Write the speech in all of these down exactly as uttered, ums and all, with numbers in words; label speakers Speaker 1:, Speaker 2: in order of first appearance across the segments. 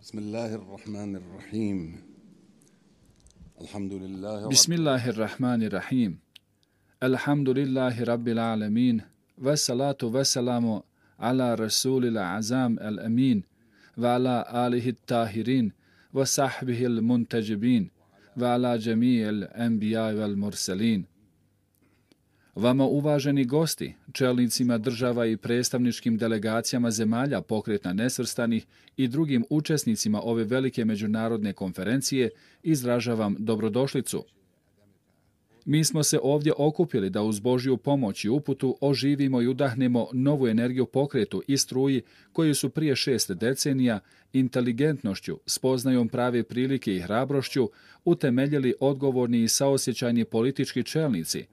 Speaker 1: Bismillahirrahmanirrahim. Alhamdulillahi
Speaker 2: Bismillahirrahmanirrahim. Alhamdulillahi rabbil alamin. Wassalatu wassalamu ala rasulil azam al-amin. Wa ala alihi tahirin. Wa sahbihi al-muntajibin. Wa ala jami'il anbiya wal mursalin. Vama uvaženi gosti, čelnicima država i predstavničkim delegacijama zemalja Pokreta nesvrstanih i drugim učesnicima ove velike međunarodne konferencije, izražavam dobrodošlicu. Mi smo se ovdje okupili da uz Božju pomoć i uputu oživimo i udahnemo novu energiju pokretu i struji koju su prije šest decenija inteligentnošću, spoznajom prave prilike i hrabrošću utemeljili odgovorni i saosjećajni politički čelnici,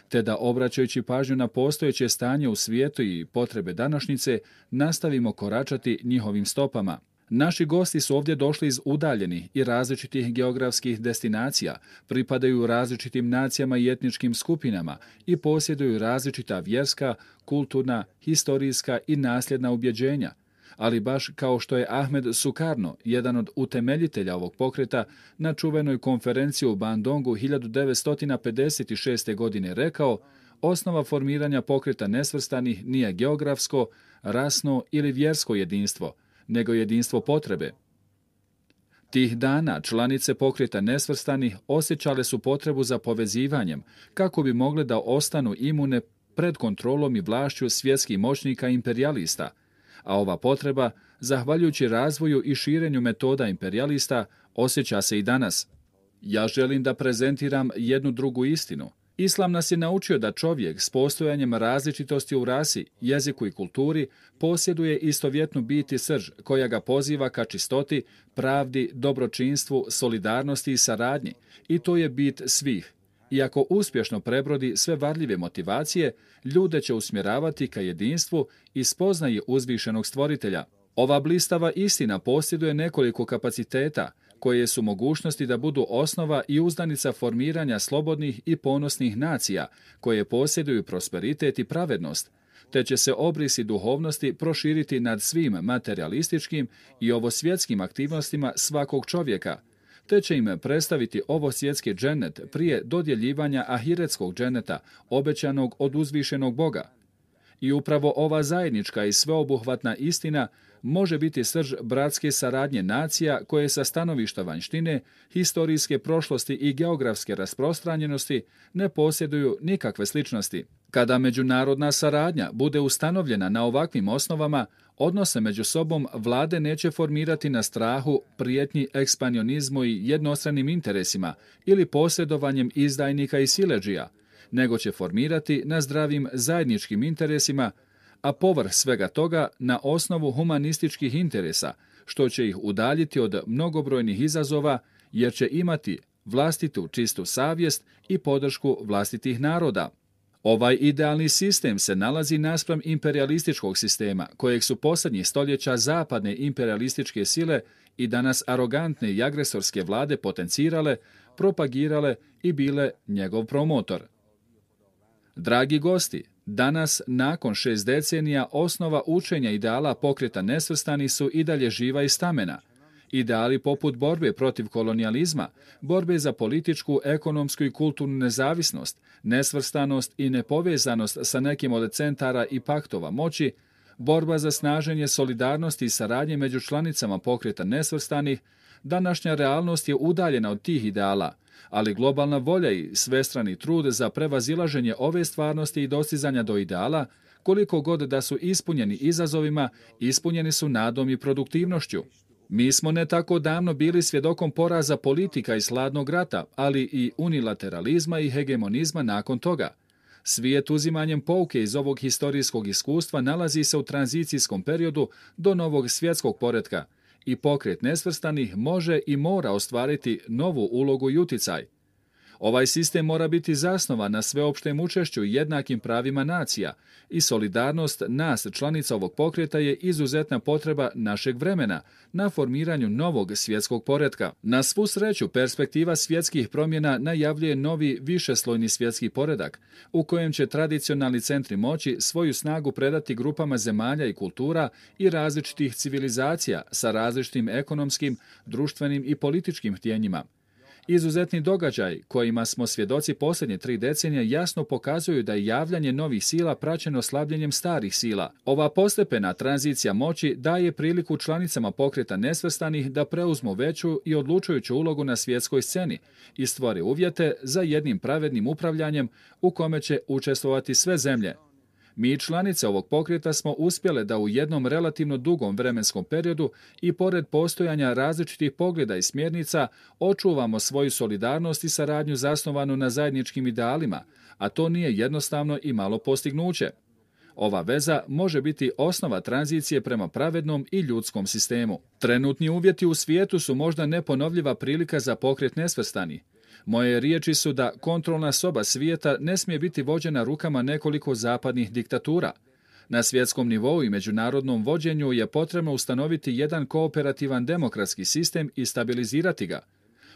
Speaker 2: te da obraćajući pažnju na postojeće stanje u svijetu i potrebe današnjice, nastavimo koračati njihovim stopama. Naši gosti su ovdje došli iz udaljenih i različitih geografskih destinacija, pripadaju različitim nacijama i etničkim skupinama i posjeduju različita vjerska, kulturna, historijska i nasljedna ubjeđenja. Ali baš kao što je Ahmed Sukarno, jedan od utemeljitelja ovog pokreta, na čuvenoj konferenciji u Bandongu hiljadu devetsto pedeset šeste. godine rekao, osnova formiranja pokreta nesvrstanih nije geografsko, rasno ili vjersko jedinstvo, nego jedinstvo potrebe. Tih dana članice pokreta nesvrstanih osjećale su potrebu za povezivanjem kako bi mogle da ostanu imune pred kontrolom i vlašću svjetskih moćnika i imperijalista, a ova potreba, zahvaljujući razvoju i širenju metoda imperijalista, osjeća se i danas. Ja želim da prezentiram jednu drugu istinu. Islam nas je naučio da čovjek s postojanjem različitosti u rasi, jeziku i kulturi posjeduje istovjetnu bit i srž koja ga poziva ka čistoti, pravdi, dobročinstvu, solidarnosti i saradnji. I to je bit svih. I ako uspješno prebrodi sve varljive motivacije, ljude će usmjeravati ka jedinstvu i spoznaji uzvišenog stvoritelja. Ova blistava istina posjeduje nekoliko kapaciteta, koje su mogućnosti da budu osnova i uzdanica formiranja slobodnih i ponosnih nacija, koje posjeduju prosperitet i pravednost, te će se obrisi duhovnosti proširiti nad svim materialističkim i ovosvjetskim aktivnostima svakog čovjeka, te će im predstaviti ovo svjetski džennet prije dodjeljivanja ahiretskog dženneta, obećanog od uzvišenog Boga. I upravo ova zajednička i sveobuhvatna istina može biti srž bratske saradnje nacija koje sa stanovišta vanjštine, historijske prošlosti i geografske rasprostranjenosti ne posjeduju nikakve sličnosti. Kada međunarodna saradnja bude ustanovljena na ovakvim osnovama, odnose među sobom vlade neće formirati na strahu, prijetnji ekspanionizmu i jednostranim interesima ili posjedovanjem izdajnika i siledžija, nego će formirati na zdravim zajedničkim interesima, a povrh svega toga na osnovu humanističkih interesa, što će ih udaljiti od mnogobrojnih izazova, jer će imati vlastitu čistu savjest i podršku vlastitih naroda. Ovaj idealni sistem se nalazi naspram imperialističkog sistema, kojeg su posljednjih stoljeća zapadne imperialističke sile i danas arogantne i agresorske vlade potencirale, propagirale i bile njegov promotor. Dragi gosti, danas, nakon šest decenija, osnova učenja ideala pokreta nesvrstanih su i dalje živa i stamena. Ideali poput borbe protiv kolonijalizma, borbe za političku, ekonomsku i kulturnu nezavisnost, nesvrstanost i nepovezanost sa nekim od centara i paktova moći, borba za snaženje solidarnosti i saradnje među članicama pokreta nesvrstanih, današnja realnost je udaljena od tih ideala, ali globalna volja i svestrani trud za prevazilaženje ove stvarnosti i dostizanja do ideala, koliko god da su ispunjeni izazovima, ispunjeni su nadom i produktivnošću. Mi smo ne tako davno bili svjedokom poraza politika i hladnog rata, ali i unilateralizma i hegemonizma nakon toga. Svijet uzimanjem pouke iz ovog historijskog iskustva nalazi se u tranzicijskom periodu do novog svjetskog poretka i pokret nesvrstanih može i mora ostvariti novu ulogu i uticaj. Ovaj sistem mora biti zasnovan na sveopštem učešću i jednakim pravima nacija i solidarnost nas, članica ovog pokreta, je izuzetna potreba našeg vremena na formiranju novog svjetskog poretka. Na svu sreću, perspektiva svjetskih promjena najavljuje novi višeslojni svjetski poredak, u kojem će tradicionalni centri moći svoju snagu predati grupama zemalja i kultura i različitih civilizacija sa različitim ekonomskim, društvenim i političkim htjenjima. Izuzetni događaj kojima smo svjedoci posljednje tri decenije jasno pokazuju da je javljanje novih sila praćeno slabljenjem starih sila. Ova postepena tranzicija moći daje priliku članicama pokreta nesvrstanih da preuzmu veću i odlučujuću ulogu na svjetskoj sceni i stvore uvjete za jednim pravednim upravljanjem u kome će učestvovati sve zemlje. Mi, članice ovog pokreta, smo uspjele da u jednom relativno dugom vremenskom periodu i pored postojanja različitih pogleda i smjernica očuvamo svoju solidarnost i saradnju zasnovanu na zajedničkim idealima, a to nije jednostavno i malo postignuće. Ova veza može biti osnova tranzicije prema pravednom i ljudskom sistemu. Trenutni uvjeti u svijetu su možda neponovljiva prilika za pokret nesvrstani. Moje riječi su da kontrolna soba svijeta ne smije biti vođena rukama nekoliko zapadnih diktatura. Na svjetskom nivou i međunarodnom vođenju je potrebno ustanoviti jedan kooperativan demokratski sistem i stabilizirati ga.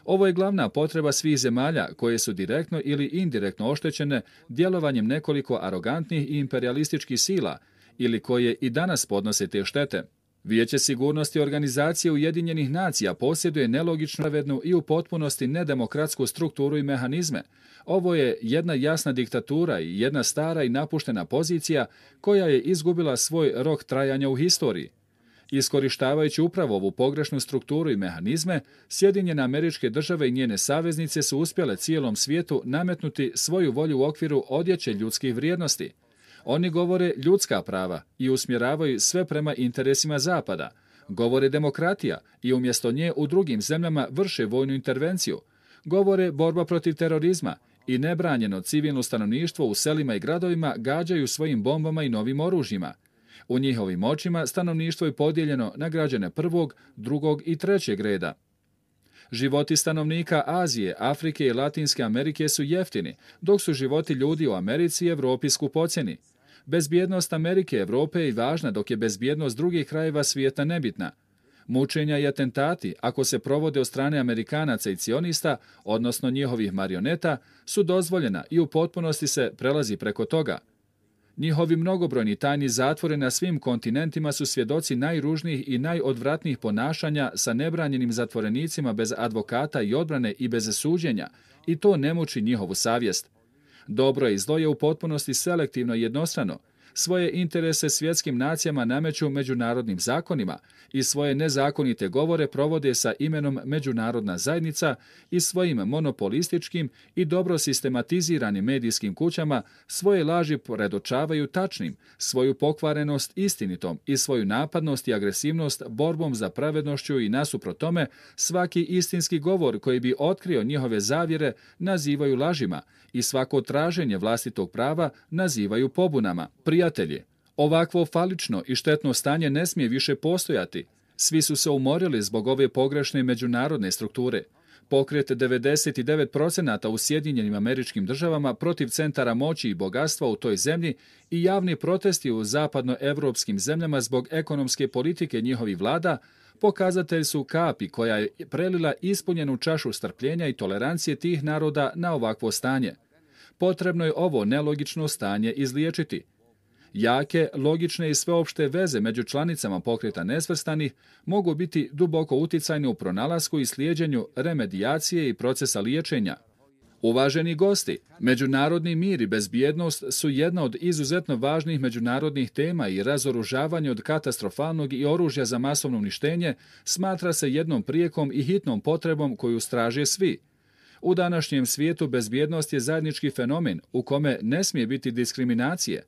Speaker 2: Ovo je glavna potreba svih zemalja koje su direktno ili indirektno oštećene djelovanjem nekoliko arogantnih i imperialističkih sila ili koje i danas podnose te štete. Vijeće sigurnosti Organizacije Ujedinjenih nacija posjeduje nelogično pravednu i u potpunosti nedemokratsku strukturu i mehanizme. Ovo je jedna jasna diktatura i jedna stara i napuštena pozicija koja je izgubila svoj rok trajanja u historiji. Iskorištavajući upravo ovu pogrešnu strukturu i mehanizme, Sjedinjene Američke Države i njene saveznice su uspjele cijelom svijetu nametnuti svoju volju u okviru odjeće ljudskih vrijednosti. Oni govore ljudska prava i usmjeravaju sve prema interesima Zapada. Govore demokratija i umjesto nje u drugim zemljama vrše vojnu intervenciju. Govore borba protiv terorizma i nebranjeno civilno stanovništvo u selima i gradovima gađaju svojim bombama i novim oružjima. U njihovim očima stanovništvo je podijeljeno na građane prvog, drugog i trećeg reda. Životi stanovnika Azije, Afrike i Latinske Amerike su jeftini, dok su životi ljudi u Americi i Europi skupocjeni. Bezbjednost Amerike i Europe je važna, dok je bezbjednost drugih krajeva svijeta nebitna. Mučenja i atentati, ako se provode od strane Amerikanaca i cionista, odnosno njihovih marioneta, su dozvoljena i u potpunosti se prelazi preko toga. Njihovi mnogobrojni tajni zatvori na svim kontinentima su svjedoci najružnijih i najodvratnijih ponašanja sa nebranjenim zatvorenicima bez advokata i odbrane i bez suđenja, i to ne muči njihovu savjest. Dobro i zlo je u potpunosti selektivno i jednostrano. Svoje interese svjetskim nacijama nameću međunarodnim zakonima i svoje nezakonite govore provode sa imenom međunarodna zajednica i svojim monopolističkim i dobro sistematiziranim medijskim kućama svoje laži predočavaju tačnim, svoju pokvarenost istinitom i svoju napadnost i agresivnost borbom za pravednošću i nasuprot tome svaki istinski govor koji bi otkrio njihove zavjere nazivaju lažima i svako traženje vlastitog prava nazivaju pobunama. Prijatelji, ovakvo falično i štetno stanje ne smije više postojati. Svi su se umorili zbog ove pogrešne međunarodne strukture. Pokret devedeset devet posto u Sjedinjenim Američkim Državama protiv centara moći i bogatstva u toj zemlji i javni protesti u zapadnoevropskim zemljama zbog ekonomske politike njihovih vlada pokazatelj su kapi koja je prelila ispunjenu čašu strpljenja i tolerancije tih naroda na ovakvo stanje. Potrebno je ovo nelogično stanje izliječiti. Jake, logične i sveopšte veze među članicama pokreta nesvrstanih mogu biti duboko uticajne u pronalasku i slijeđenju remedijacije i procesa liječenja. Uvaženi gosti, međunarodni mir i bezbjednost su jedna od izuzetno važnih međunarodnih tema i razoružavanje od katastrofalnog i oružja za masovno uništenje smatra se jednom prijekom i hitnom potrebom koju straže svi. U današnjem svijetu bezbjednost je zajednički fenomen u kome ne smije biti diskriminacije.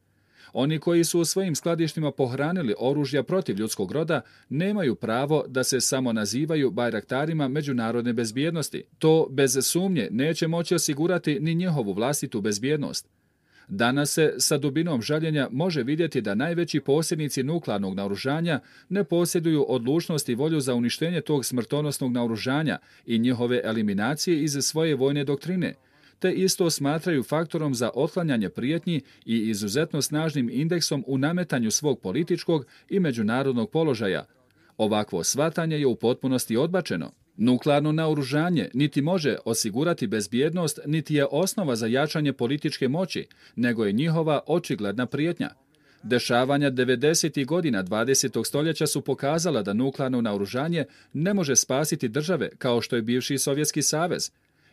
Speaker 2: Oni koji su u svojim skladištima pohranili oružja protiv ljudskog roda nemaju pravo da se samo nazivaju bajraktarima međunarodne bezbjednosti. To bez sumnje neće moći osigurati ni njihovu vlastitu bezbjednost. Danas se sa dubinom žaljenja može vidjeti da najveći posjednici nuklearnog naoružanja ne posjeduju odlučnost i volju za uništenje tog smrtonosnog naoružanja i njihove eliminacije iz svoje vojne doktrine. te isto smatraju faktorom za otklanjanje prijetnji i izuzetno snažnim indeksom u nametanju svog političkog i međunarodnog položaja. Ovakvo shvatanje je u potpunosti odbačeno. Nuklearno naoružanje niti može osigurati bezbjednost, niti je osnova za jačanje političke moći, nego je njihova očigledna prijetnja. Dešavanja devedesetih godina dvadesetog stoljeća su pokazala da nuklearno naoružanje ne može spasiti države kao što je bivši Sovjetski savez.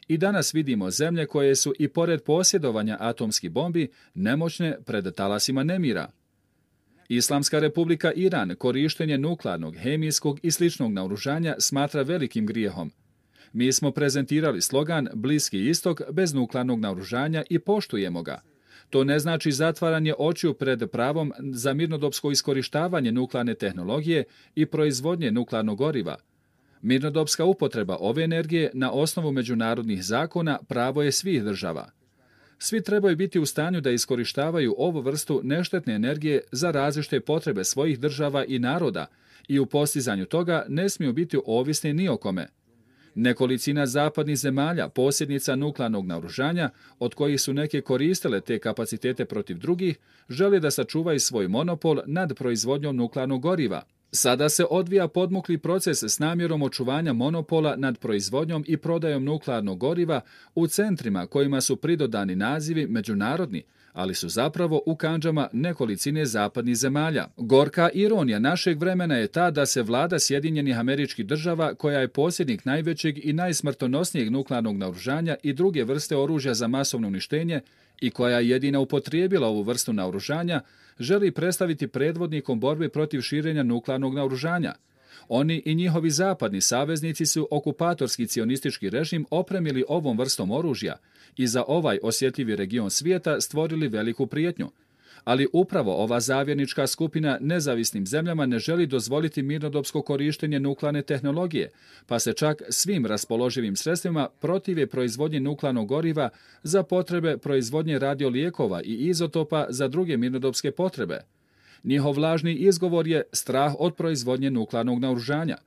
Speaker 2: I danas vidimo zemlje koje su i pored posjedovanja atomskih bombi nemoćne pred talasima nemira. Islamska republika Iran korištenje nuklearnog, hemijskog i sličnog naoružanja smatra velikim grijehom. Mi smo prezentirali slogan Bliski istok bez nuklearnog naoružanja i poštujemo ga. To ne znači zatvaranje očiju pred pravom za mirnodopsko iskorištavanje nuklearne tehnologije i proizvodnje nuklearnog goriva. Mirnodopska upotreba ove energije na osnovu međunarodnih zakona pravo je svih država. Svi trebaju biti u stanju da iskorištavaju ovu vrstu neštetne energije za različite potrebe svojih država i naroda i u postizanju toga ne smiju biti ovisni ni o kome. Nekolicina zapadnih zemalja, posjednica nuklearnog naoružanja, od kojih su neke koristile te kapacitete protiv drugih, žele da sačuvaju svoj monopol nad proizvodnjom nuklearnog goriva. Sada se odvija podmukli proces s namjerom očuvanja monopola nad proizvodnjom i prodajom nuklearnog goriva u centrima kojima su pridodani nazivi međunarodni, ali su zapravo u kandžama nekolicine zapadnih zemalja. Gorka ironija našeg vremena je ta da se vlada Sjedinjenih Američkih Država, koja je posjednik najvećeg i najsmrtonosnijeg nuklearnog naoružanja i druge vrste oružja za masovno uništenje i koja je jedina upotrijebila ovu vrstu naoružanja, želi predstaviti predvodnikom borbe protiv širenja nuklearnog naoružanja. Oni i njihovi zapadni saveznici su okupatorski cionistički režim opremili ovom vrstom oružja i za ovaj osjetljivi region svijeta stvorili veliku prijetnju. Ali upravo ova zavjernička skupina nezavisnim zemljama ne želi dozvoliti mirnodopsko korištenje nuklearne tehnologije, pa se čak svim raspoloživim sredstvima protive proizvodnje nuklearnog goriva za potrebe proizvodnje radiolijekova i izotopa za druge mirnodopske potrebe. Njihov lažni izgovor je strah od proizvodnje nuklearnog naoružanja.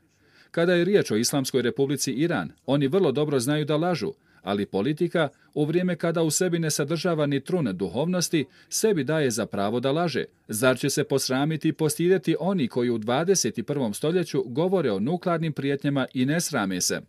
Speaker 2: Kada je riječ o Islamskoj republici Iran, oni vrlo dobro znaju da lažu, ali politika, u vrijeme kada u sebi ne sadržava ni trun duhovnosti, sebi daje za pravo da laže. Zar će se posramiti i postidjeti oni koji u dvadeset prvom stoljeću govore o nuklearnim prijetnjama i ne srame se?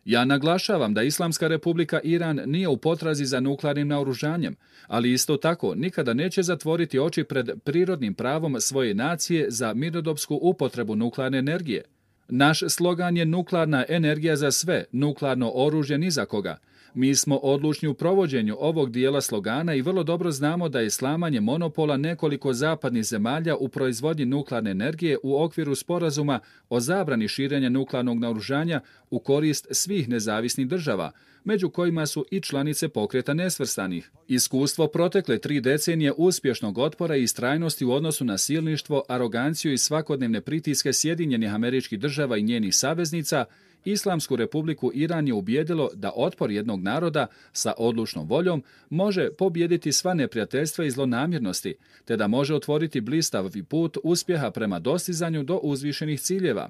Speaker 2: Ja naglašavam da Islamska republika Iran nije u potrazi za nuklearnim naoružanjem, ali isto tako nikada neće zatvoriti oči pred prirodnim pravom svoje nacije za mirnodopsku upotrebu nuklearne energije. Naš slogan je nuklearna energija za sve, nuklearno oružje ni za koga. Mi smo odlučni u provođenju ovog dijela slogana i vrlo dobro znamo da je slamanje monopola nekoliko zapadnih zemalja u proizvodnji nuklearne energije u okviru sporazuma o zabrani širenja nuklearnog naoružanja u korist svih nezavisnih država, među kojima su i članice Pokreta nesvrstanih. Iskustvo protekle tri decenije uspješnog otpora i istrajnosti u odnosu na silništvo, aroganciju i svakodnevne pritiske Sjedinjenih Američkih Država i njenih saveznica, Islamsku republiku Iran je ubijedilo da otpor jednog naroda sa odlučnom voljom može pobijediti sva neprijateljstva i zlonamjernosti, te da može otvoriti blistavi put uspjeha prema dostizanju do uzvišenih ciljeva.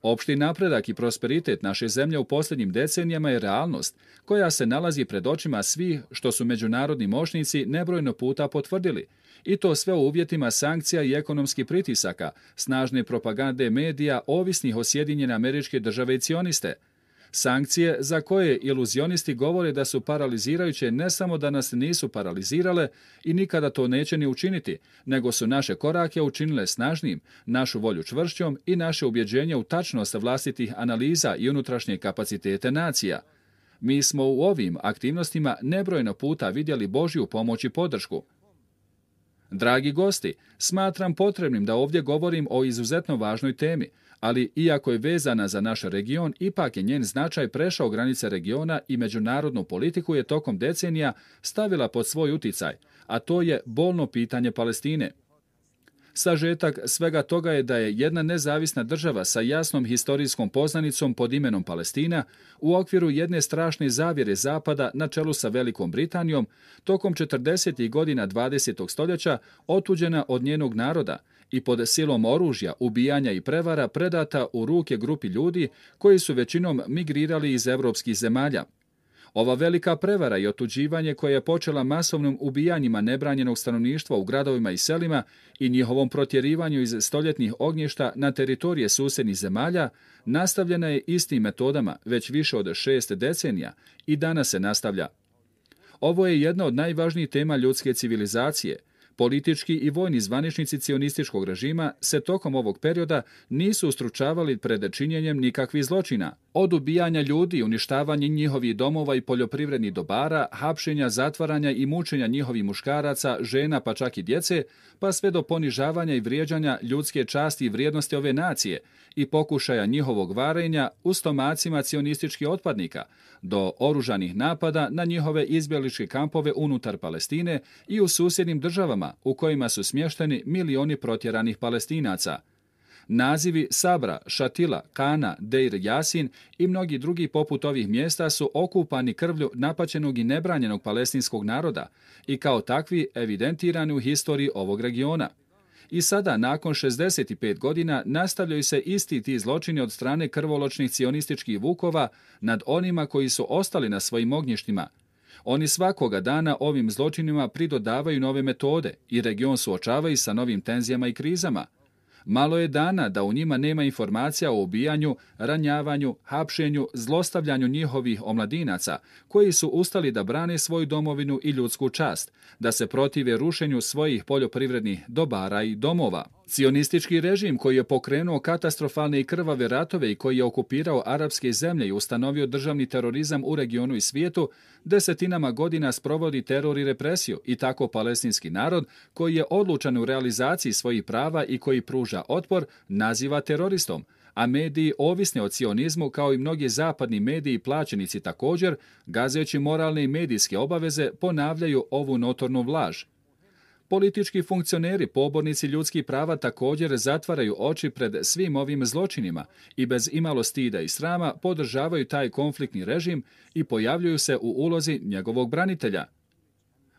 Speaker 2: Opšti napredak i prosperitet naše zemlje u posljednjim decenijama je realnost, koja se nalazi pred očima svih što su međunarodni moćnici nebrojno puta potvrdili, i to sve u uvjetima sankcija i ekonomskih pritisaka, snažne propagande medija ovisnih o Sjedinjene Američke Države i cioniste. Sankcije za koje iluzionisti govore da su paralizirajuće ne samo da nas nisu paralizirale i nikada to neće ni učiniti, nego su naše korake učinile snažnijim, našu volju čvršćom i naše ubjeđenje u tačnost vlastitih analiza i unutrašnje kapacitete nacija. Mi smo u ovim aktivnostima nebrojno puta vidjeli Božju pomoć i podršku. Dragi gosti, smatram potrebnim da ovdje govorim o izuzetno važnoj temi, ali iako je vezana za naš region, ipak je njen značaj prešao granice regiona i međunarodnu politiku je tokom decenija stavila pod svoj uticaj, a to je bolno pitanje Palestine. Sažetak svega toga je da je jedna nezavisna država sa jasnom historijskom poznanicom pod imenom Palestina u okviru jedne strašne zavjere Zapada na čelu sa Velikom Britanijom tokom četrdesetih godina dvadesetog stoljeća otuđena od njenog naroda i pod silom oružja, ubijanja i prevara predata u ruke grupi ljudi koji su većinom migrirali iz evropskih zemalja. Ova velika prevara i otuđivanje koje je počela masovnim ubijanjima nebranjenog stanovništva u gradovima i selima i njihovom protjerivanju iz stoljetnih ognjišta na teritorije susjednih zemalja nastavljena je istim metodama već više od šest decenija i danas se nastavlja. Ovo je jedna od najvažnijih tema ljudske civilizacije. Politički i vojni zvaničnici cionističkog režima se tokom ovog perioda nisu ustručavali pred činjenjem nikakvih zločina. Od ubijanja ljudi, uništavanja njihovih domova i poljoprivrednih dobara, hapšenja, zatvaranja i mučenja njihovih muškaraca, žena pa čak i djece, pa sve do ponižavanja i vrijeđanja ljudske časti i vrijednosti ove nacije i pokušaja njihovog varenja u stomacima cionističkih otpadnika, do oružanih napada na njihove izbjegličke kampove unutar Palestine i u susjednim državama u kojima su smješteni milioni protjeranih Palestinaca. Nazivi Sabra, Šatila, Kana, Deir Jasin i mnogi drugi poput ovih mjesta su okupani krvlju napaćenog i nebranjenog palestinskog naroda i kao takvi evidentirani u historiji ovog regiona. I sada, nakon šezdeset pet godina, nastavljaju se isti ti zločini od strane krvoločnih cionističkih vukova nad onima koji su ostali na svojim ognjištima. Oni svakoga dana ovim zločinima pridodavaju nove metode i region suočavaju sa novim tenzijama i krizama. Malo je dana da u njima nema informacija o ubijanju, ranjavanju, hapšenju, zlostavljanju njihovih omladinaca, koji su ustali da brane svoju domovinu i ljudsku čast, da se protive rušenju svojih poljoprivrednih dobara i domova. Cionistički režim koji je pokrenuo katastrofalne i krvave ratove i koji je okupirao arapske zemlje i ustanovio državni terorizam u regionu i svijetu, desetinama godina sprovodi teror i represiju i tako palestinski narod, koji je odlučan u realizaciji svojih prava i koji pruža otpor, naziva teroristom, a mediji ovisni o cionizmu kao i mnogi zapadni mediji plaćenici također, gazeći moralne i medijske obaveze, ponavljaju ovu notornu laž. Politički funkcioneri, pobornici ljudskih prava također zatvaraju oči pred svim ovim zločinima i bez imalo stida i srama podržavaju taj konfliktni režim i pojavljuju se u ulozi njegovog branitelja.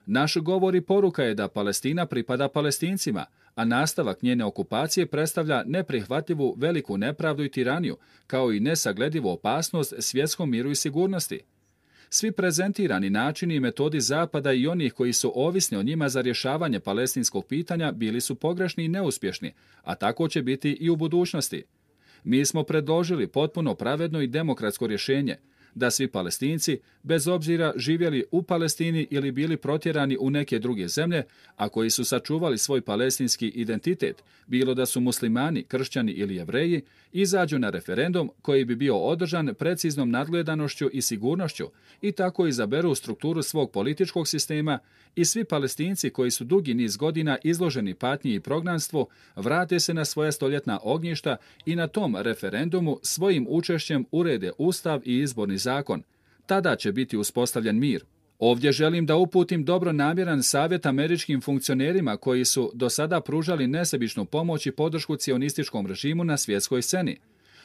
Speaker 2: Naš govor i poruka je da Palestina pripada Palestincima, a nastavak njene okupacije predstavlja neprihvatljivu veliku nepravdu i tiraniju, kao i nesagledivu opasnost svjetskom miru i sigurnosti. Svi prezentirani načini i metodi Zapada i onih koji su ovisni o njima za rješavanje palestinskog pitanja bili su pogrešni i neuspješni, a tako će biti i u budućnosti. Mi smo predložili potpuno pravedno i demokratsko rješenje, da svi Palestinci, bez obzira živjeli u Palestini ili bili protjerani u neke druge zemlje, a koji su sačuvali svoj palestinski identitet, bilo da su muslimani, kršćani ili jevreji, izađu na referendum koji bi bio održan preciznom nadgledanošću i sigurnošću i tako izaberu strukturu svog političkog sistema i svi Palestinci koji su dugi niz godina izloženi patnji i prognanstvu vrate se na svoja stoljetna ognjišta i na tom referendumu svojim učešćem urede ustav i izborni zakon. Tada će biti uspostavljen mir. Ovdje želim da uputim dobronamjeran savjet američkim funkcionerima koji su do sada pružali nesebičnu pomoć i podršku cionističkom režimu na svjetskoj sceni.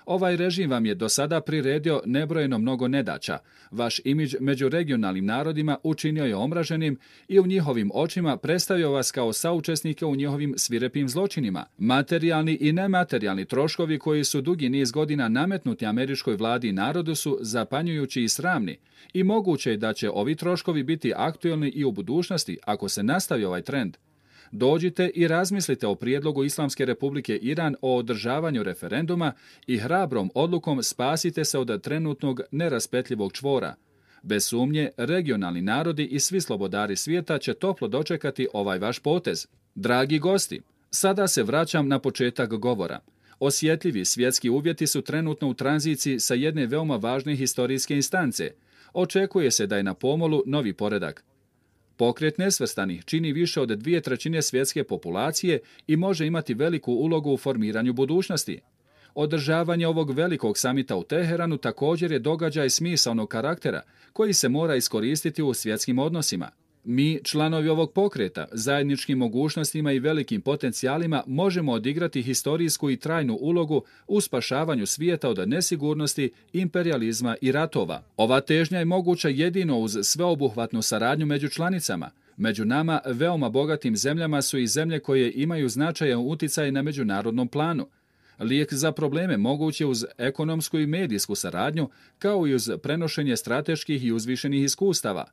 Speaker 2: Ovaj režim vam je do sada priredio nebrojeno mnogo nedaća. Vaš imidž među regionalnim narodima učinio je omraženim i u njihovim očima predstavio vas kao saučesnike u njihovim svirepim zločinima. Materijalni i nematerijalni troškovi koji su dugi niz godina nametnuti američkoj vladi i narodu su zapanjujući i sramni. I moguće je da će ovi troškovi biti aktuelni i u budućnosti ako se nastavi ovaj trend. Dođite i razmislite o prijedlogu Islamske republike Iran o održavanju referenduma i hrabrom odlukom spasite se od trenutnog neraspetljivog čvora. Bez sumnje, regionalni narodi i svi slobodari svijeta će toplo dočekati ovaj vaš potez. Dragi gosti, sada se vraćam na početak govora. Osjetljivi svjetski uvjeti su trenutno u tranziciji sa jedne veoma važne historijske instance. Očekuje se da je na pomolu novi poredak. Pokret nesvrstanih čini više od dvije trećine svjetske populacije i može imati veliku ulogu u formiranju budućnosti. Održavanje ovog velikog samita u Teheranu također je događaj smisaonog karaktera koji se mora iskoristiti u svjetskim odnosima. Mi, članovi ovog pokreta, zajedničkim mogućnostima i velikim potencijalima možemo odigrati historijsku i trajnu ulogu u spašavanju svijeta od nesigurnosti, imperijalizma i ratova. Ova težnja je moguća jedino uz sveobuhvatnu saradnju među članicama. Među nama, veoma bogatim zemljama su i zemlje koje imaju značajan utjecaj na međunarodnom planu. Lijek za probleme moguć je uz ekonomsku i medijsku saradnju, kao i uz prenošenje strateških i uzvišenih iskustava.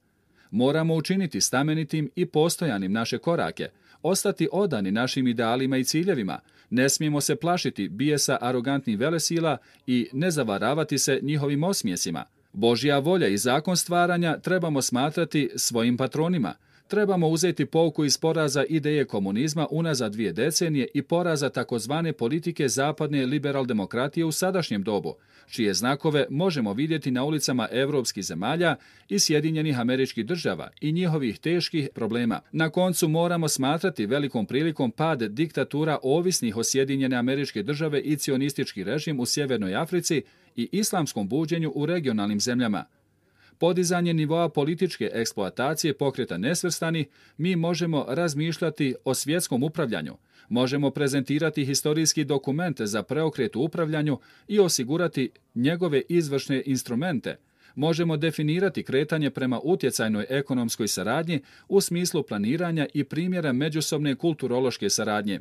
Speaker 2: Moramo učiniti stamenitim i postojanim naše korake, ostati odani našim idealima i ciljevima, ne smijemo se plašiti bijesa arogantnih velesila i ne zavaravati se njihovim osmijesima. Božja volja i zakon stvaranja trebamo smatrati svojim patronima. Trebamo uzeti pouku iz poraza ideje komunizma unazad dvije decenije i poraza takozvane politike zapadne liberal demokratije u sadašnjem dobu, čije znakove možemo vidjeti na ulicama europskih zemalja i Sjedinjenih Američkih Država i njihovih teških problema. Na koncu moramo smatrati velikom prilikom pad diktatura ovisnih o Sjedinjene Američke Države i cionistički režim u Sjevernoj Africi i islamskom buđenju u regionalnim zemljama. Podizanje nivoa političke eksploatacije pokreta nesvrstani, mi možemo razmišljati o svjetskom upravljanju, možemo prezentirati historijski dokument za preokret u upravljanju i osigurati njegove izvršne instrumente, možemo definirati kretanje prema utjecajnoj ekonomskoj saradnji u smislu planiranja i primjera međusobne kulturološke saradnje.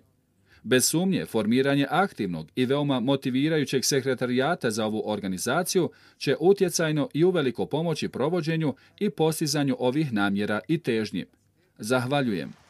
Speaker 2: Bez sumnje, formiranje aktivnog i veoma motivirajućeg sekretarijata za ovu organizaciju će utjecajno i uveliko pomoći provođenju i postizanju ovih namjera i težnji. Zahvaljujem.